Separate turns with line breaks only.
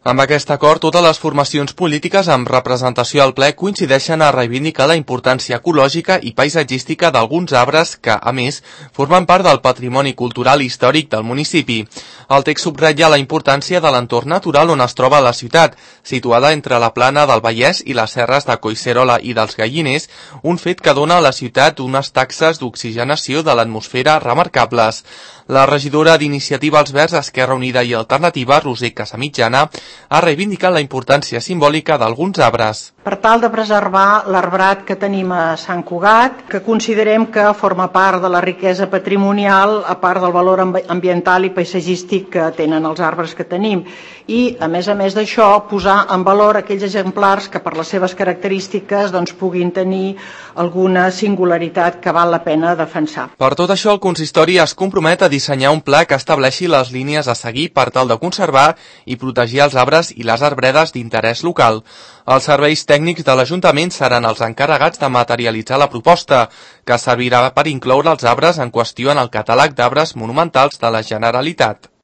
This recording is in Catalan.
Amb aquest acord, totes les formacions polítiques amb representació al ple coincideixen a reivindicar la importància ecològica i paisatgística d'alguns arbres que, a més, formen part del patrimoni cultural i històric del municipi. El text subratlla la importància de l'entorn natural on es troba la ciutat, situada entre la plana del Vallès i les serres de Collserola i dels Galliners, un fet que dona a la ciutat unes taxes d'oxigenació de l'atmosfera remarcables. La regidora d'Iniciativa als Verds, Esquerra Unida i Alternativa, Roser Casamitjana, ha reivindicat la importància simbòlica d'alguns arbres.
Per tal de preservar l'arbrat que tenim a Sant Cugat, que considerem que forma part de la riquesa patrimonial, a part del valor ambiental i paisatgístic que tenen els arbres que tenim. I, a més d'això, posar en valor aquells exemplars que per les seves característiques puguin tenir alguna singularitat que val la pena defensar.
Per tot això, el consistori es compromet a dissenyar un pla que estableixi les línies a seguir per tal de conservar i protegir els arbres i les arbredes d'interès local. Els serveis tècnics de l'Ajuntament seran els encarregats de materialitzar la proposta, que servirà per incloure els arbres en qüestió en el catàleg d'arbres monumentals de la Generalitat.